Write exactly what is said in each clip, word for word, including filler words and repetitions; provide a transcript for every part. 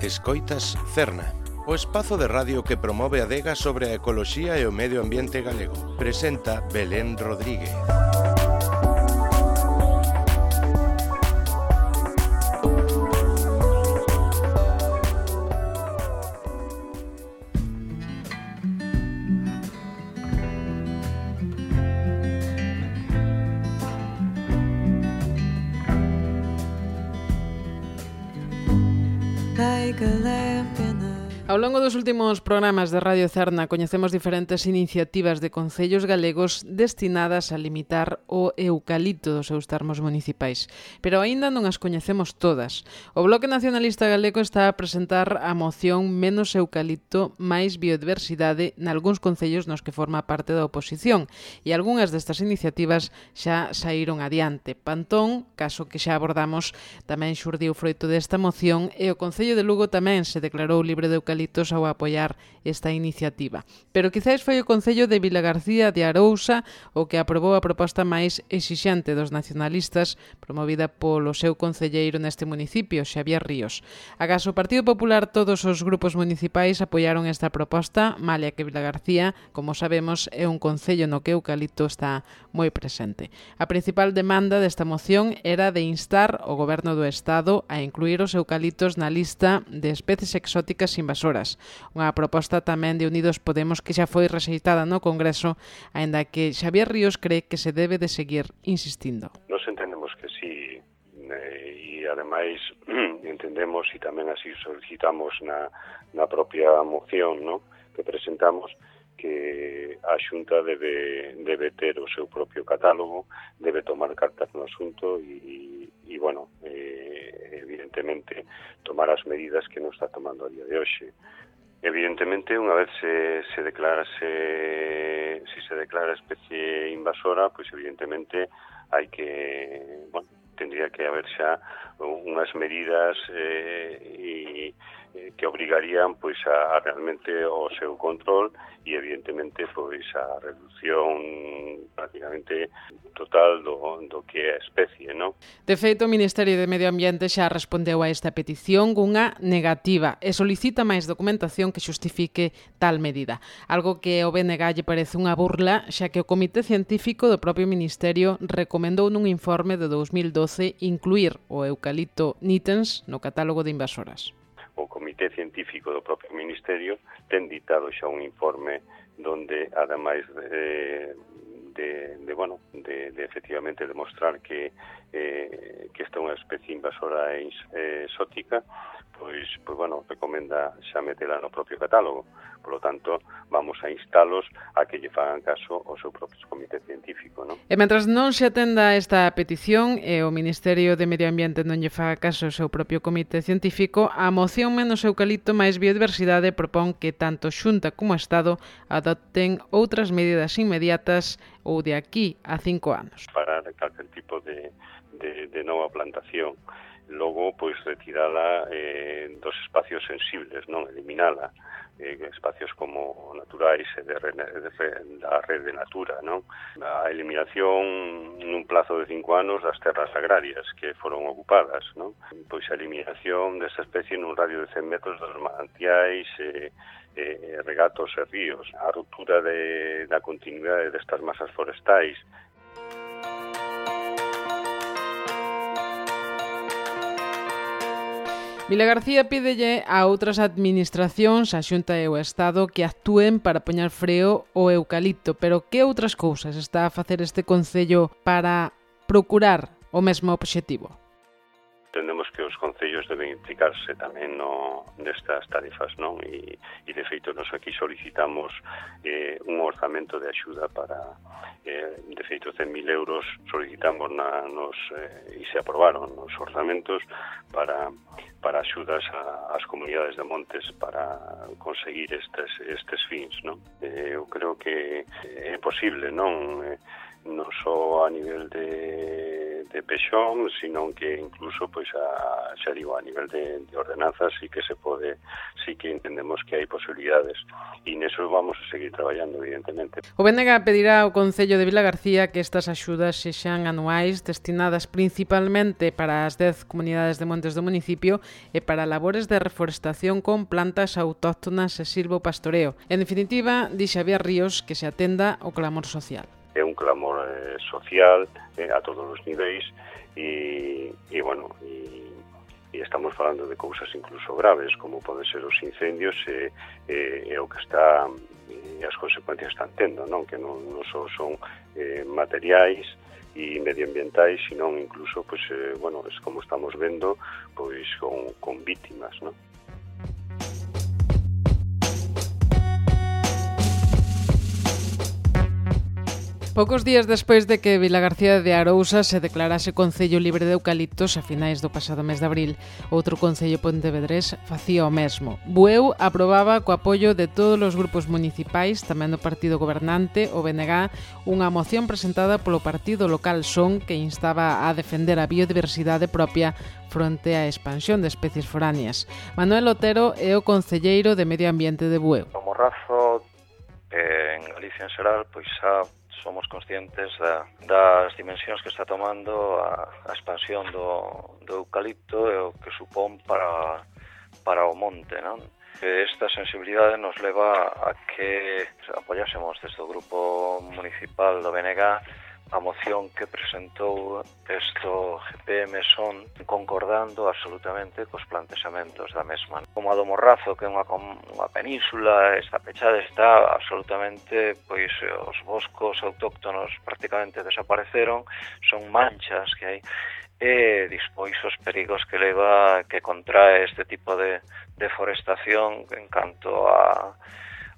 Escoitas Cerna, o espazo de radio que promove a adega sobre a ecoloxía e o medio ambiente galego. Presenta Belén Rodríguez. Ao longo dos últimos programas de Radio Cerna coñecemos diferentes iniciativas de concellos galegos destinadas a limitar o eucalipto dos seus termos municipais, pero aínda non as coñecemos todas. O Bloque Nacionalista Galego está a presentar a moción Menos eucalipto, máis biodiversidade nalgúns concellos nos que forma parte da oposición, e algunhas destas iniciativas xa saíron adiante. Pantón, caso que xa abordamos, tamén xurdiu froito desta moción e o Concello de Lugo tamén se declarou libre de eucalipto ao apoiar esta iniciativa. Pero quizás foi o Concello de Vilagarcía de Arousa o que aprobou a proposta máis exixente dos nacionalistas promovida polo seu concelleiro neste municipio, Xavier Ríos. Agás o Partido Popular, todos os grupos municipais apoiaron esta proposta, malia que Vilagarcía, como sabemos, é un concello no que o eucalipto está moi presente. A principal demanda desta moción era de instar o Goberno do Estado a incluir os eucaliptos na lista de especies exóticas invasoras. Unha proposta tamén de Unidos Podemos que xa foi rexeitada no Congreso, aínda que Xavier Ríos cree que se debe de seguir insistindo. Nos entendemos que sí, e ademais entendemos e tamén así solicitamos na, na propia moción, ¿no?, que presentamos, que a Xunta debe, debe ter o seu propio catálogo, debe tomar cartas no asunto e, e bueno, eh, evidentemente tomar as medidas que non está tomando a día de hoxe. Evidentemente, unha vez se, se declarase, si se declara especie invasora, pois evidentemente hai que, bueno, tendría que haber xa unhas medidas eh, e, que obrigarían pois a, a realmente o seu control e evidentemente pois a reducción prácticamente total do, do que é a especie, non? De feito, o Ministerio de Medio Ambiente xa respondeu a esta petición cunha negativa e solicita máis documentación que xustifique tal medida. Algo que ao B N G lle parece unha burla, xa que o Comité Científico do propio Ministerio recomendou nun informe de dous mil doce incluir o eucalipto nitens no catálogo de invasoras. O Comité Científico do propio Ministerio ten ditado xa un informe donde, ademais de, de, de bueno, de, de efectivamente demostrar que, eh, que esta é unha especie invasora e eh, exótica, pois, pois, bueno, recomenda xa metela no propio catálogo. Por lo tanto, vamos a instalos a que lle fagan caso ao seu propio comité científico, non? E mentras non se atenda esta petición e o Ministerio de Medio Ambiente non lle faga caso ao seu propio comité científico, a moción Menos eucalipto máis biodiversidade propón que tanto Xunta como Estado adopten outras medidas inmediatas ou de aquí a cinco anos. Para calquer tipo de, de, de nova plantación, logo, pois, retirala eh, dos espacios sensibles, non? Eliminala. Eh, espacios como naturais e de, de, de, da rede natura, non? A eliminación nun plazo de cinco anos das terras agrarias que foron ocupadas, non? Pois a eliminación desa especie nun radio de cen metros dos manantiais, eh, eh, regatos e ríos, a ruptura de, da continuidade destas masas forestais. Vilagarcía pídelle a outras administracións, a Xunta e o Estado, que actúen para poñer freo ao eucalipto. Pero que outras cousas está a facer este concello para procurar o mesmo obxectivo? Entendemos que os concellos deben implicarse tamén no, nestas tarefas, non? E, e de feito, nos aquí solicitamos eh, un orzamento de axuda para, eh, de feito, cen mil euros solicitamos na, nos, eh, e se aprobaron nos orzamentos para, para axudas a, ás comunidades de montes para conseguir estes, estes fins, non? Eh, eu creo que é posible, non? Eh, non só a nivel de, de pexón, sino que incluso, pois, a, xa digo, a nivel de, de ordenanzas sí que se pode, sí que entendemos que hai posibilidades, e neso vamos a seguir traballando, evidentemente. O B N G pedirá ao Concello de Vilagarcía que estas axudas sexan anuais, destinadas principalmente para as dez comunidades de montes do municipio e para labores de reforestación con plantas autóctonas e silvopastoreo. En definitiva, di Xavier Ríos que se atenda ao clamor social. É un clamor eh, social eh, a todos os niveis e, e bueno, e, e estamos falando de cousas incluso graves, como poden ser os incendios e, e, e o que está e as consecuencias están tendo, non? Que non, non só son eh, materiais e medioambientais, sino incluso, pues, eh, bueno, es como estamos vendo, pois con, con víctimas, non? Poucos días despois de que Vilagarcía de Arousa se declarase concello libre de eucaliptos a finais do pasado mes de abril, outro concello pontevedrés facía o mesmo. Bueu aprobaba co apoio de todos os grupos municipais, tamén do partido gobernante, o B N G, unha moción presentada polo partido local Son que instaba a defender a biodiversidade propia fronte á expansión de especies foráneas. Manuel Otero é o concelleiro de Medio Ambiente de Bueu. O morrazo, eh, en Galicia en xeral, pois xa somos conscientes da, das dimensións que está tomando a, a expansión do, do eucalipto e o que supón para, para o monte, non? Esta sensibilidade nos leva a que apoyásemos desde o grupo municipal do B N G a moción que presentou esto G P M Son concordando absolutamente cos plantexamentos da mesma. Como a do Morrazo, que é unha, unha península, está pechada, está absolutamente, pois os boscos autóctonos prácticamente desapareceron, son manchas que hai, e despois os perigos que leva, que contrae este tipo de deforestación en canto a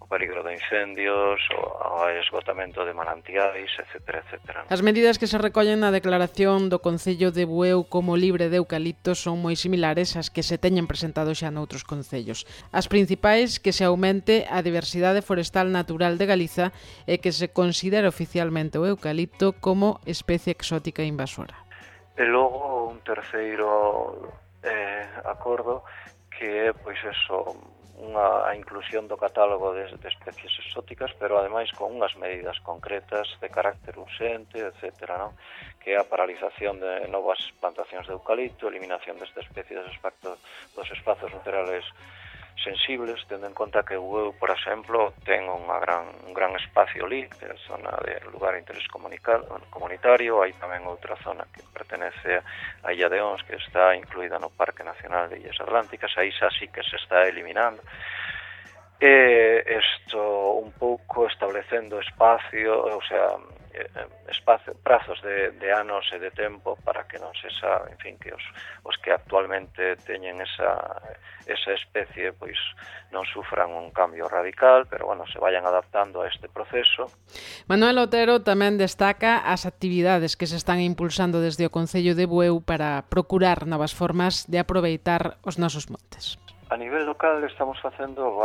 peligro de incendios, o esgotamento de manantiais, etcétera, etcétera. As medidas que se recollen na declaración do Concello de Bueu como libre de eucaliptos son moi similares ás que se teñen presentado xa noutros concellos. As principais, que se aumente a diversidade forestal natural de Galiza e que se considere oficialmente o eucalipto como especie exótica invasora. E logo un terceiro eh, acordo que é, pois, eso, unha a inclusión do catálogo de, de especies exóticas, pero ademais con unhas medidas concretas de carácter urxente, etcétera, non? Que é a paralización de novas plantacións de eucalipto, eliminación desta especie dos espazos, dos espazos naturales sensibles, tendo en conta que Bueu, por exemplo, ten unha gran, un gran espacio ali, que é a zona de lugar de interés comunitario, hai tamén outra zona que pertenece a Illa de Ons, que está incluída no Parque Nacional de Illas Atlánticas, aí xa sí que se está eliminando. E isto un pouco establecendo espacio, o sea, espacio, prazos de, de anos e de tempo para que non se sabe, en fin, que os, os que actualmente teñen esa, esa especie pois non sufran un cambio radical, pero bueno, se vayan adaptando a este proceso. Manuel Otero tamén destaca as actividades que se están impulsando desde o Concello de Bueu para procurar novas formas de aproveitar os nosos montes. A nivel local estamos facendo,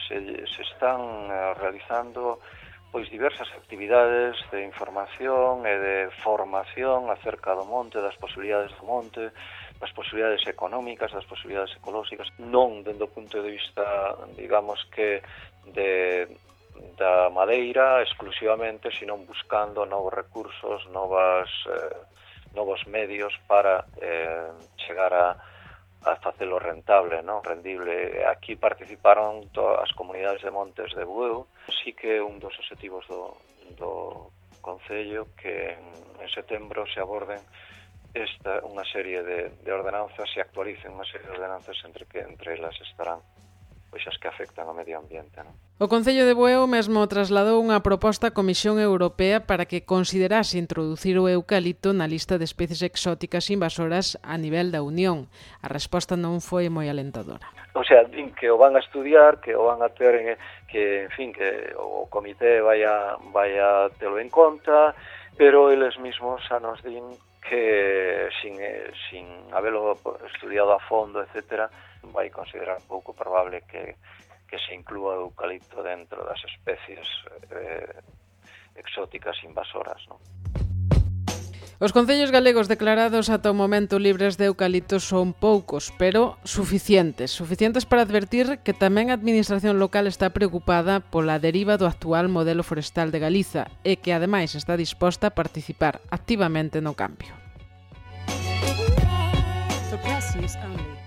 se, se están realizando pois diversas actividades de información e de formación acerca do monte, das posibilidades do monte, das posibilidades económicas, das posibilidades ecolóxicas, non dende o punto de vista, digamos que, de, da madeira exclusivamente, sino buscando novos recursos, novas, eh, novos medios para eh, chegar a a facelo rentable, non? Rendible. Aquí participaron todas as comunidades de montes de Bueu. Sí que un dos objetivos do, do Concello que en, en setembro se aborden esta unha serie de, de ordenanzas, se actualicen unha serie de ordenanzas entre que entre elas estarán pois as que afectan ao medio ambiente, non? O Concello de Bueu mesmo trasladou unha proposta á Comisión Europea para que considerase introducir o eucalipto na lista de especies exóticas invasoras a nivel da Unión. A resposta non foi moi alentadora. O sea, din que o van a estudiar, que o van a ter, que, en fin, que o comité vai a, vai a telo en conta, pero eles mesmos xa nos din que sin, sin habelo estudiado a fondo, etcétera, vai considerar pouco probable que, que se inclúa o eucalipto dentro das especies eh, exóticas invasoras, non? Os concellos galegos declarados ata o momento libres de eucaliptos son poucos, pero suficientes. Suficientes para advertir que tamén a administración local está preocupada pola deriva do actual modelo forestal de Galiza e que, ademais, está disposta a participar activamente no cambio. For press use only.